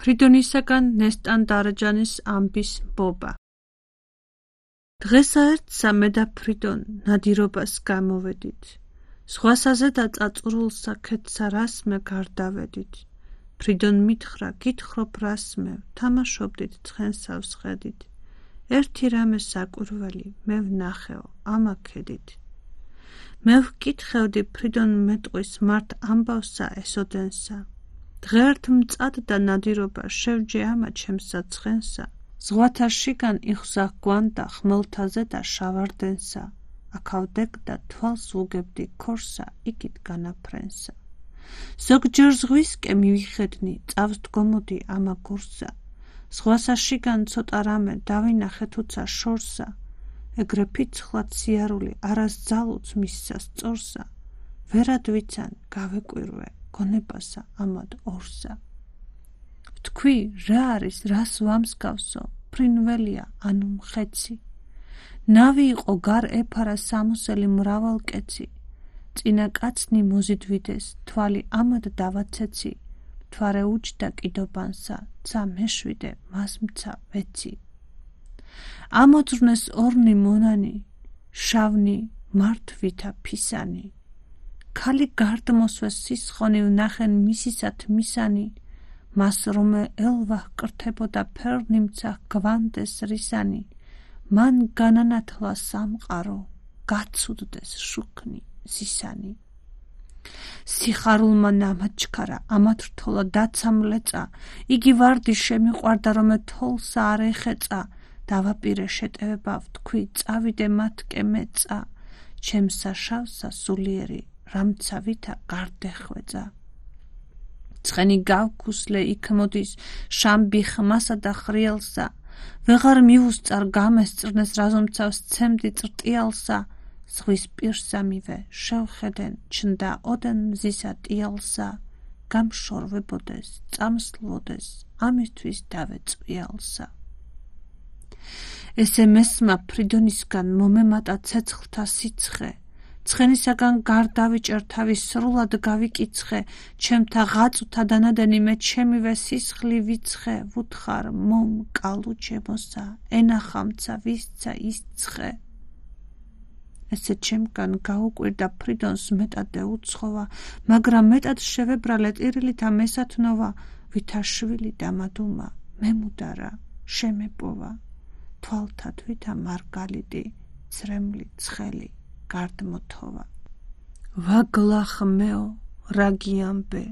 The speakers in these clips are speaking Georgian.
ფრიდონისაგან ნესტან დარაჯანის ამბის ბობა. დღესა ერთსა მე და ფრიდონ ნადირობას გამოვედით. ზღვასაზე და წაწურულსა ქეთსა რას მე გარდავედით. ფრიდონ მითხრა გითხრობ რას მე თამაშობდით ცხენსავს ხედით. ერთი რამე საკვირველი მე ვნახეო ამაქედით. მე ვკითხევდი ფრიდონ მეტყვის მართ ამბავსა ესოდენსა. დღეერთ მწად და ნადირობა შევჯე ამა ჩემსა ცხენსა. ზღვათა შიგან იხსა გვანდა ხმელთაზე და შავარდენსა. აქავდეკ და თვალს უგებდი ქორსა იქით განაფრენსა. ზოგჯერ ზღვისკე მივიხედნი წავს დგომოდი ამა გურსა. ზღვასა შიგან ცოტა რამე დავინახე თუცა შორსა. ეგრე ფიცხლად სიარული არას ძალუც მისსა სწორსა. ვერად ვიცან გავეკვირვე გონებასა ამად ორსა. ვთქვი რა არის რას ვამსგავსო ფრინველია ანუ მხეცი. ნავი იყო გარ ეფარა სამოსელი მრავალკეცი. წინა კაცნი მოზიდვიდეს თვალი ამად დავაცეცი. მთვარე უჯდა კიდობანსა ცა მეშვიდე მას მცა ვეცი. ამოძრნეს ორნი მონანი შავნი მართვითა ფისანი. ქალი გარდმოსვეს სისხონი ვნახენ მისისათ მისანი. მას რომე ელვა ჰკრთებოდა ფერნიმცა გვანდეს რისანი. მან განანათლა სამყარო გაცუდდეს შუქნი ზისანი. სიხარულმა ნამაჩქარა ამათ რთოლა დაცამლეწა. იგი ვარდი შემიყვარდა რომე თოლსა არ ეხეწა. დავაპირე შეტევება ვთქვი წავიდე მათკე მეწა. ჩემსა შავსა სულიერი რამცავითა გარდეხვეწა. ცხენი გავქუსლე იქ მოდის შამბი ხმასა და ხრიალსა. ვეღარ მივუსწარ გამესწრნეს რაზომცავს ცემდი წერტიალსა. ზღვის პირსა მივე შევხედენ ჩნდა ოდენ მზისა ტიალსა. გამშორვებოდეს წამსლოდეს ამისთვის დავეწვიალსა. ესე მესმა ფრიდონისგან მომემატა ცეცხლთა სიცხე. ცხენისაგან გარდავიჭერ თავის სრულად გავიკიცხე. ჩემთა ღაწუთა დანადენი მე ჩემივე სისხლი ვიცხე. ვუთხარ მომ კალუ ჩემოსა ენახამცა ვისცა ისცხე. ესე ჩემგან გაუკვირდა ფრიდონს მეტად ეუცხოვა. მაგრამ მეტად შევებრალე ტირილითა მესათნოვა. ვითა შვილი დამადუმა მემუდარა შემეპოვა. თვალთად ვითა მარგალიტი ცრემლი ცხელი გარდმოთოვა. ვაგლახმეო რაგიამბე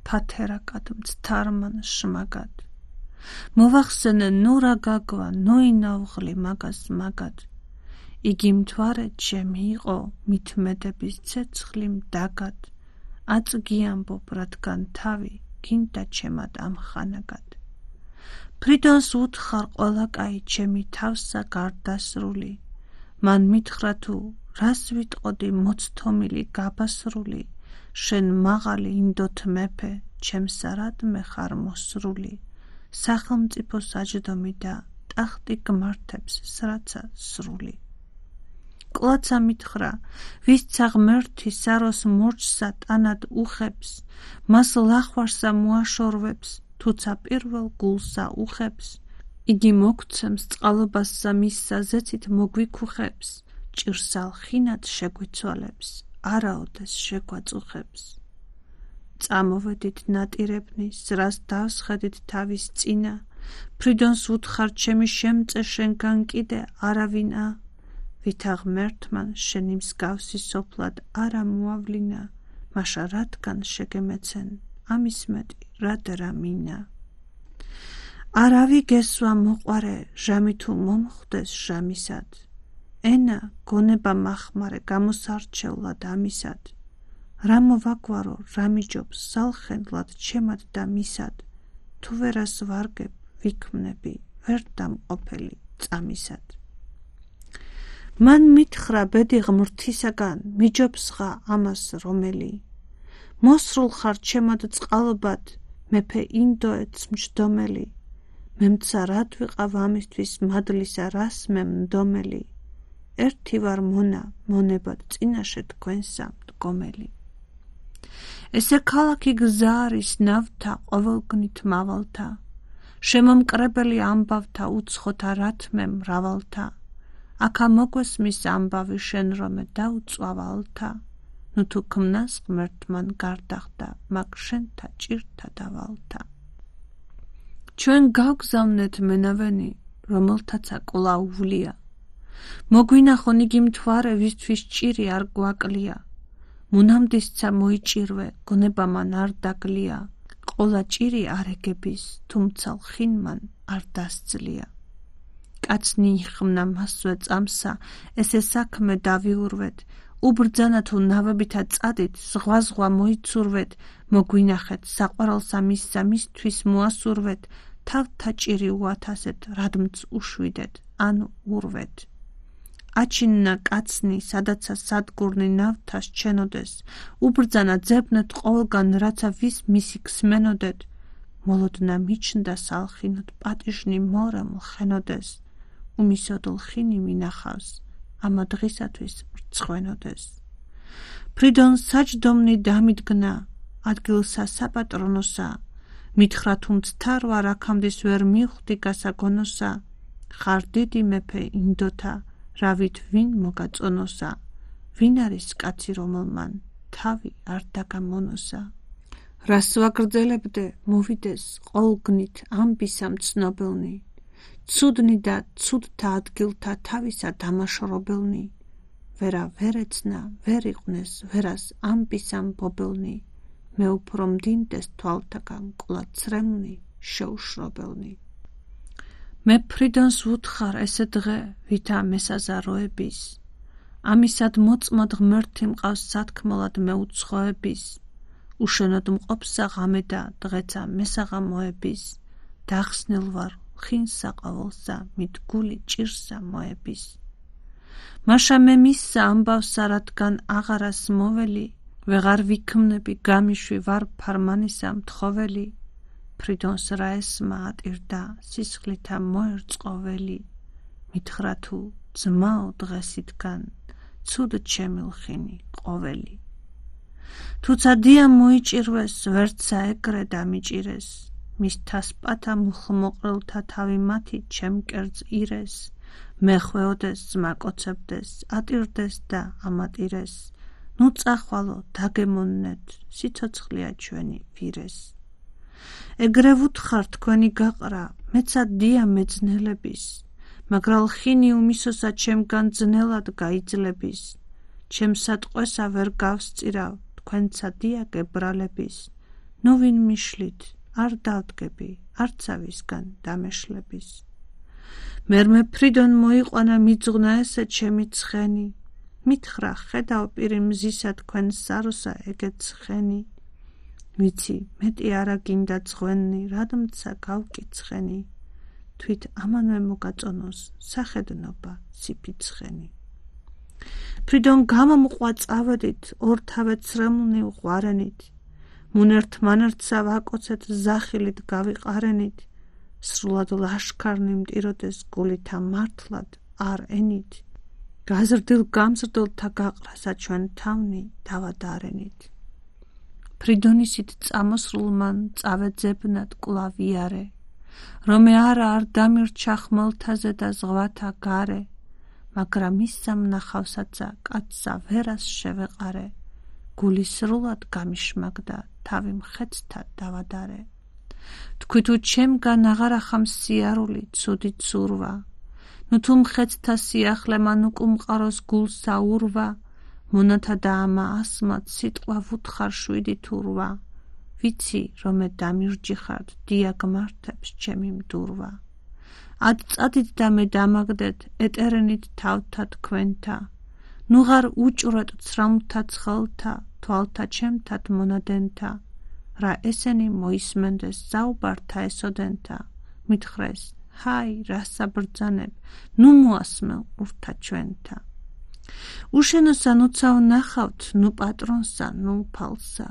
ფათერაკად მცთარმან შმაგად. მოვახსენე ნურა გაგვა ნოინავღლი მაგას მაგად. იგი მთვარე ჩემი იყო მითმედების ცეცხლი მდაგად. აწგიამბობ რადგან თავი გინდა ჩემად ამხანაგად. ფრიდონს უთხარ ყველა კაი ჩემი თავსა გარდასრული. მან მითხრა თუ რას ვიტყოდი მოცთომილი გაბასრული. შენ მაღალი ინდოთ მეფე ჩემსარად მე ხარ მოსრული. სახელმწიფო საჯდომი და ტახტი გმართებს სრაცა სრული. კლაცა მითხრა ვისცა ღმერთი საროს მორჩსა ტანად უხებს. მას ლახვარსა მოაშორვებს თუცა პირველ გულსა უხებს. იგი მოგცემს წყალობასსა მისსა ზეცით მოგვიქუხებს. ჭირსალ ხინად შეგვიცვალებს არაოდეს შეგვაწუხებს. წამოვედით ნატირებნი სრას დავსხედით თავის წინა. ფრიდონს უთხარ ჩემი შემწე შენგან კიდე არავინა. ვითა ღმერთმან შენი მსგავსი სოფლად არა მოავლინა. მაშა რადგან შეგემეცენ ამის მეტი რადერა მინა. არავი გესვა მოყვარე ჟამი თუ მომხვდეს ჟამისად. ენა გონება მახმარე გამოსარჩევლად ამისად. რა მოვაგვარო რა მიჯობს სალხენლად ჩემად და მისად. თუ ვერას ვარგებ ვიქმნები ვერ დამყოფელი წამისად. მან მითხრა ბედი ღმრთისაგან მიჯობსღა ამას რომელი. მოსრულ ხარ ჩემად წყალობად მეფე ინდოეთს მჯდომელი. მემცა რად ვიყავ ამისთვის მადლისა რას მე მდომელი. ერთი ვარ მონა მონებად წინაშე თქვენსა მდგომელი. ესე ქალაქი გზა არის ნავთა ყოველგნით მავალთა. შემომკრებელი ამბავთა უცხოთა რათმე მრავალთა, აქა მოგვეს მის ამბავი შენ რომე დაუწვავალთა, ნუ თუ ქმნას ღმერთმან გარდახდა, მაგ შენთა ჭირთა დავალთა. ჩვენ გავგზავნეთ მენავენი, რომელთაცა კვლავ ვვლია, მოგვინახონ იგი მთვარე, ვისთვის ჭირი არ გვაკლია, მუნამდისცა მოიჭირვე, გონება მან არ დაგლია, ყოლა ჭირი არ ეგების, თუმცა ლხინ მან არ დასძლია. კაცნი იხმნა მასვე წამსა, ესე საქმე დავიურვეთ, უბრძანა თუ ნავებითა წადით, ზღვა მოიცურვეთ, მოგვინახეთ, საყვარელსა მისსა მისთვის მოასურვეთ, თავთა ჭირი უათასეთ, რადმც უშვიდეთ, ანუ ურვეთ. აჩინნა კაცნი, სადაცა სადგურნი ნავთას ჩენოდეს, უბრძანა ძებნეთ ყოველგან, რაცა ვის მისი ქსმენოდეთ, მოლოდნა მიჩნდა სალხინოთ, პატიჟნი მორემ ლხენოდეს, უმისოდ ლხინი მინახავს, ამა დღისათვის მრცხვენოდეს. ფრიდონ საჯდომნი დამიდგნა, ადგილსა საპატრონოსა, მითხრა თუ მცთარვა რაქამდის ვერ მიხვდი გასაგონოსა, ხარ დიდი მეფე ინდოთა, რავით ვინ მოგაწონოსა, ვინ არის კაცი რომელმან თავი არ დაგამონოსა. რას ვაგრძელებდე, მოვიდეს ყოლგნით ამბისა მცნობელნი, ცუდნი და ცუდთა ადგილთა თავისა დამაშორებელნი, ვერა ვერ ეცნა, ვერ იყვნეს, ვერას ამბისა მბობელნი, მე უფრო მდინდეს თვალთაგან კვლავ ცრემლნი, შეუშრობელნი. მე ფრიდონს ვუთხარ ესე დღე, ვითა მესაზაროების, ამისად მოწმოდ ღმერთი მყავს სათქმელად მე უცხოების, უშენოდ მყოფსა ღამე და დღეცა მესაღამოების, დახსნილ ვარ ხინსა ყოველსა, მით გული ჭირსა მოების. მაშა მე მისსა ამბავსა, რადგან აღარას მოველი, ვეღარ ვიქმნები გამიშვი ვარ ფარმანისა მთხოველი, ფრიდონს რა ესმა ატირდა, სისხლითა მოერწყოველი, მითხრა თუ ძმაო დღესითგან, ცუდ ჩემი ლხინი ყოველი. თუცა დია მოიჭირვეს, ვერცა ეგრე დამიჭირეს, მის თასპათა მუხმოყრელთა თავი მათი ჩემ კერძ ირეს, მეხვეოდეს, ზმაკოცებდეს, ატირდეს და ამატირეს, ნუ წახვალო, დაგემონნეთ, სიცოცხლეა ჩვენი ვირეს. ეგრე ვუთხარ თქვენი გაყრა, მეცა დია მეძნელების, მაგრა ლხინი უმისოსა ჩემგან ძნელად გაიძლების, ჩემსა ტყვესა ვერ გავსწირავ, თქვენცა დია გებრალების, ნუ ვინ მიშლით, არ დავდგები, არცავისგან დამეშლების. მერმე ფრიდონ მოიყვანა მიძღვნა ესე ჩემი ცხენი, მითხრა ხედავ პირი მზისა თქვენ საროსა ეგეთ ცხენი, ვიცი მეტი არა გინდა ცხვენი, რადმცა გავკიცხენი, თვით ამანვე მოგაწონოს სახედნობა სიფიცხენი. ფრიდონ გამომყვა წავედით, ორთავე ცრემლნი უყვარენით, მუნერთ მანერტსა ვაკოცეთ ზახილით გავიყარენით, სრულად ლაშქარნი მტიროდეს გულითა მართლად არ ენით, გაზრდილ გამზრდელთა გაყრასა ჩვენ თავნი დავადარენით. ფრიდონისით წამოსრულმან წავეძებნად კვლავ იარე, რომე არა არ დამირჩა ხმელთაზე და ზღვათა გარე, მაგრამ ისა მნახავსაცა კაცსა ვერას შევეყარე, გული სრულად გამიშმაგდა, თავი მხეცთა დავადარე. თქვი თუ ჩემგან აღარ ახამს სიარული, ცუდი ცურვა, ნუ თუ მხეცთა სიახლე მან უკუმყაროს გულსა ურვა, მონათა და ამა ასმად სიტყვა ვუთხარ 7 თუ 8, ვიცი რომე დამირჯიხართ, დია გმართებს ჩემი მდურვა. ად წადით და მე დამაგდეთ, ეტერენით თავთა თქვენთა, ნუ ღარ უჭვრეთ ცრამლთა ცხელთა, თვალთა ჩემთად მონადენთა, რა ესენი მოისმენდეს საუბართა ესოდენთა, მითხრეს, ჰაი, რასა ბრძანებ, ნუ მოასმელ ურთა ჩვენთა. უშენოსა ნუცავ ნახავთ, ნუ პატრონსა, ნუ ფალსა,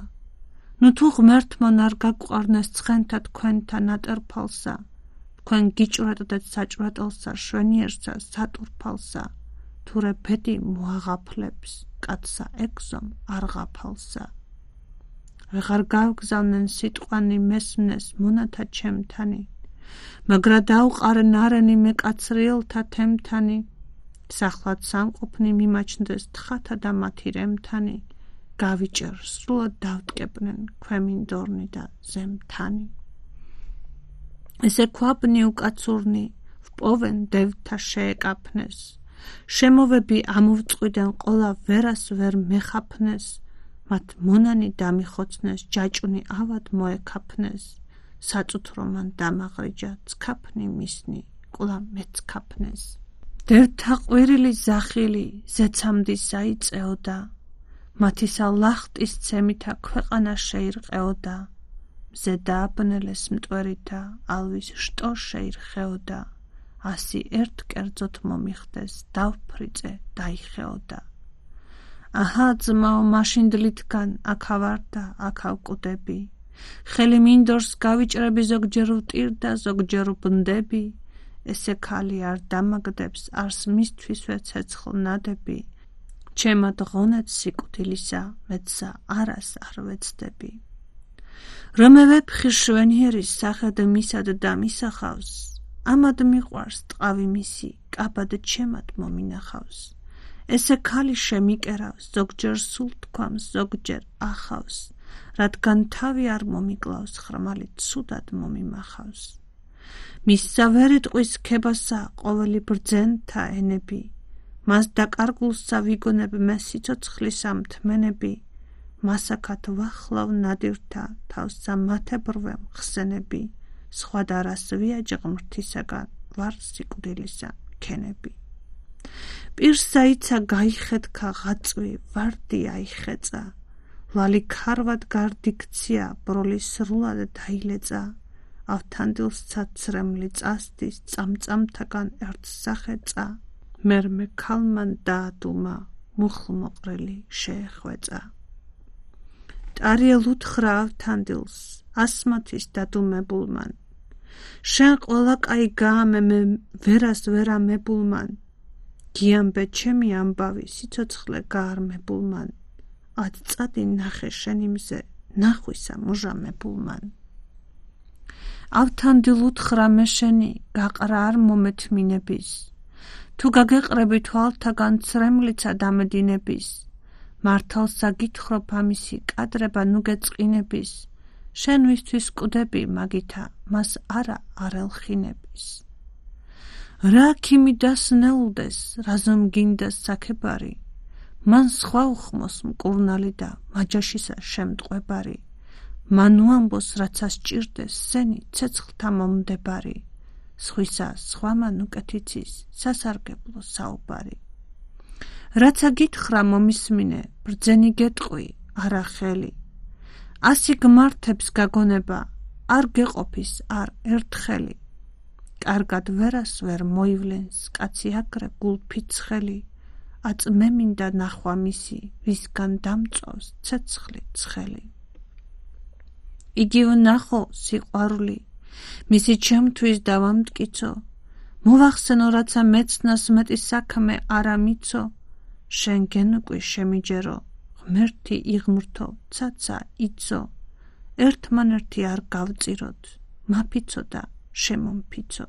ნუ თუ ღმერთმან არ გაგვყარნეს ცხენთა თქვენთა ნატერფალსა, თქვენ გიჭვრეტდეთ საჭვრეტელსა, შვენიერსა, სატურფალსა, თურე ბედი მოაღაფლებს, კაცსა ეგზომ არ ღაფალსა. ვეღარ გავგზავნენ სიტყვანი მესმნეს მონათა ჩემთანი, მაგრა დაუყარე ნარენი მეკაცრიელთა თემთანი, სახლად სამყოფნი მიმაჩნდეს თხათა და მათი რემთანი, გავიჭერ სრულად დავტკეპნენ ქვემინდორნი და ზემთანი. ესე ქვაბნი უკაცურნი ვპოვენ დევთა შეეკაფნეს, შემოვები ამოვწყვიდან ყოლა ვერას ვერ მეხაფნეს, მათ მონანი დამიხოცნეს, ჯაჭუნი ავად მოეკაფნეს, საწუთრო მან დამაღრიჯა, ცქაფნი მისნი, ყოლა მეცქაფნეს. დევთა ყვირილი ზახილი ზეცამდი საიწეოდა, მათისა ლახტის ცემითა ქვეყანა შეირყეოდა, მზე დააბნელეს მტვერითა, ალვის შტო შეირხეოდა, ასი ერთ კერძოთ მომიხდეს, დავფრიწე დაიხეოდა. აჰა ძმაო მაშინდლითგან აქა ვარ და აქა ვკვდები, ხელი მინდორს გავიჭრები, ზოგჯერ ვტირდა, ზოგჯერ ვბნდები, ესე ქალი არ დამაგდებს, არს მისთვისვე ცეცხლ ნადები, ჩემად ღონეთ სიკვდილისა, მეცსა არას არ ვეცდები. რომე ვეფხი შვენიერის სახედ მისად დამისახავს, ამად მიყვარს ტყავი მისი, კაბად ჩემად მომინახავს. ესე ქალი შემიკერავს, ზოგჯერ სულ თქვამს, ზოგჯერ ახავს, რადგან თავი არ მომიკლავს, ხრმალი ცუდად მომიმახავს. მისსა ვერიტყვის ქებასა ყოველი ბრძენთა ენები, მას დაკარგულსა ვიგონებ მე სიცოცხლისა მთმენები, მასაკად ვახლავ ნადირთა თავსა მათებრვე მხსენები, სხვა დარას ვიაჯ ღმრთისაგან ვარ სიკვდილისა ქენები. პირსა იცა გაიხეთქა ღაწვი, ვარდი აიხეწა, ლალი ქარვად გარდიქცია, ბროლი სრულად დაილეწა, ავთანდილსცა ცრემლი წასდის, წამწამთაგან ერთ სახეწა, მერმე ქალმან დაადუმა, მუხლმოყრილი შეეხვეწა. ტარიელ უთხრა ავთანდილს, ასმათის დადუმებულმან, შენ ყველა კაი გაამე მე ვერას ვერამებულმან, გიამბე ჩემი ამბავი სიცოცხლე გაარმებულმან, ად წადი ნახე შენი მზე ნახვისა მუჟამებულმან. ავთანდილ უთხრა მე შენი გაყრა არ მომეთმინების, თუ გაგეყრები თვალთაგან ცრემლიცა დამედინების, მართალსა გითხრობ ამისი კადრება ნუ გეწყინების, შენ ვისთვის კვდები მაგითა მას არა არ ელხინების. რა ქიმი დასნეულდეს, რაზომ გინდა საქებარი, მან სხვა უხმოს მკურნალი და მაჯაშისა შემტყვებარი, მან უამბოს რაცა სჭირდეს, სენი ცეცხლთა მომდებარი, სხვისა სხვამან უკეთიცის სასარგებლო საუბარი. რაცა გითხრა მომისმინე, ბრძენი გეტყვი, არა ხელი, ასი გმართებს გაგონება, არ გეყოფის არ ერთხელი, კარგად ვერას ვერ მოივლენს, კაცი აგრე გულფიცხელი, აწმე მინდა ნახვა მისი, ვისგან დამწვავს ცეცხლი ცხელი. იგი ვნახო სიყვარული, მისი ჩემთვის დავამტკიცო, მოვახსენო რაცა მეცნას მეტი საქმე არა მიცო, შენ გენუკვი შემიჯერო, ღმერთი იღმრთო, ცაცა იცო, ერთმანერთი არ გავწიროთ, მაფიცო და შემომფიცო.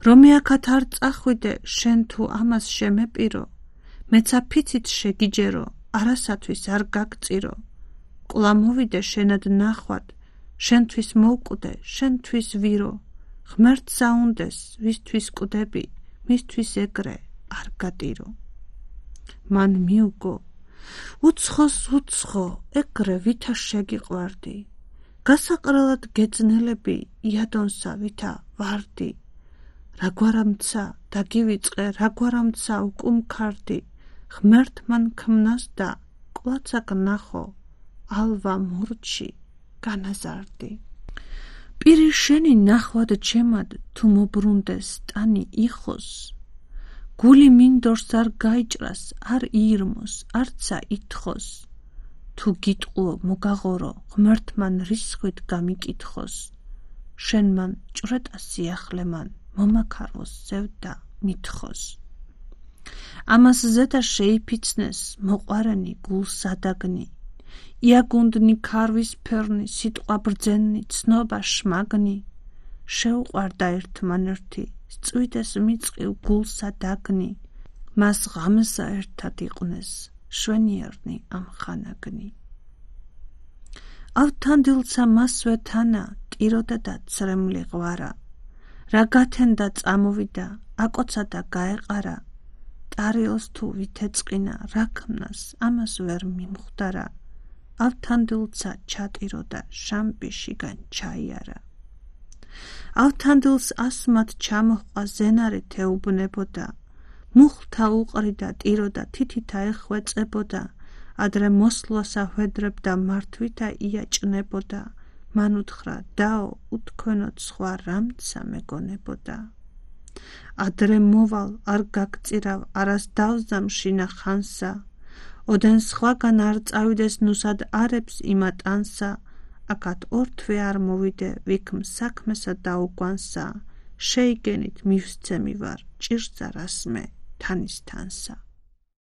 რომე აქათ არ წახვიდე, შენ თუ ამას შემეპირო, მეცა ფიცით შეგიჯერო, არასათვის არ გაგწირო, კვლავ მოვიდე შენად ნახვად, შენთვის მოვკვდე, შენთვის ვირო, ღმერთს აუნდეს, ვისთვის კვდები, მისთვის ეგრე არ გადირო. მან მიუგო, უცხოს უცხო, ეგრე ვითა შეგიყვარდი, გასაყრელად გეძნელები, იადონსა ვითა ვარდი, რაგვარამცა დაგივიწყე, რაგვარამცა უკუმქარდი, ღმერთ მან ქმნას და კვლაცაკ ნახო, ალვა მურჩი განაზარდი. პირი შენი ნახვად ჩემად თუ მობრუნდეს, ტანი იხოს, გული მინდორს არ გაიჭრას, არ იირმოს, არცა ითხოვს, თუ გიტყუო მოგაღორო, ღმერთ მან რისხვით გამიკითხოს, შენ მან ჭვრეტა სიახლე მან, მომაქაროს ზევდა მითხოს. ამას ზედა შეიფიცნეს, მოყვარენი გულს ადაგნი, იაგუნდნი ქარვის ფერნი, სიტყვა ბრძენი, ცნობა შმაგნი, შეუყვარდა ერთმანერთი, სწვიდეს მიწყივ გულსა დაგნი, მას ღამსა ერთად იყვნეს, შვენიერნი ამ ხანაგნი. ავთანდილსა მასვე თანა, ტიროდა და ცრემლი ღვარა, რა გათენდა წამოვიდა, აკოცა და გაეყარა, ტარიელს თუ ვითეწყინა, რა ქმნას, ამას ვერ მიმხვდარა, ავთანდილსა ჩატიროდა, შამპიშიგან ჩაიარა. ავთანდილს ასმად ჩამოჰყვა ზენარი თეუბნებოდა, მუხლთა უყრიდა ტიროდა, თითითა ეხვეწებოდა, ადრე მოსვლასა ჰვედრებდა მართვითა იაჭნებოდა, მან უთხრა დაო, უთქვენოდ სხვა რამცა მეგონებოდა. ადრე მოვალ, არ გაგწირავ, არას დავზამშინა ხანსა, ოდენ სხვაგან არ წავიდეს ნუსად არებს იმატანსა, აკად ორთვე არ მოვიდე, ვიქმ საქმესა დაუგვანსა, შეიგენით მივსცემი ვარ, ჭირსა რასმე თანისთანსა.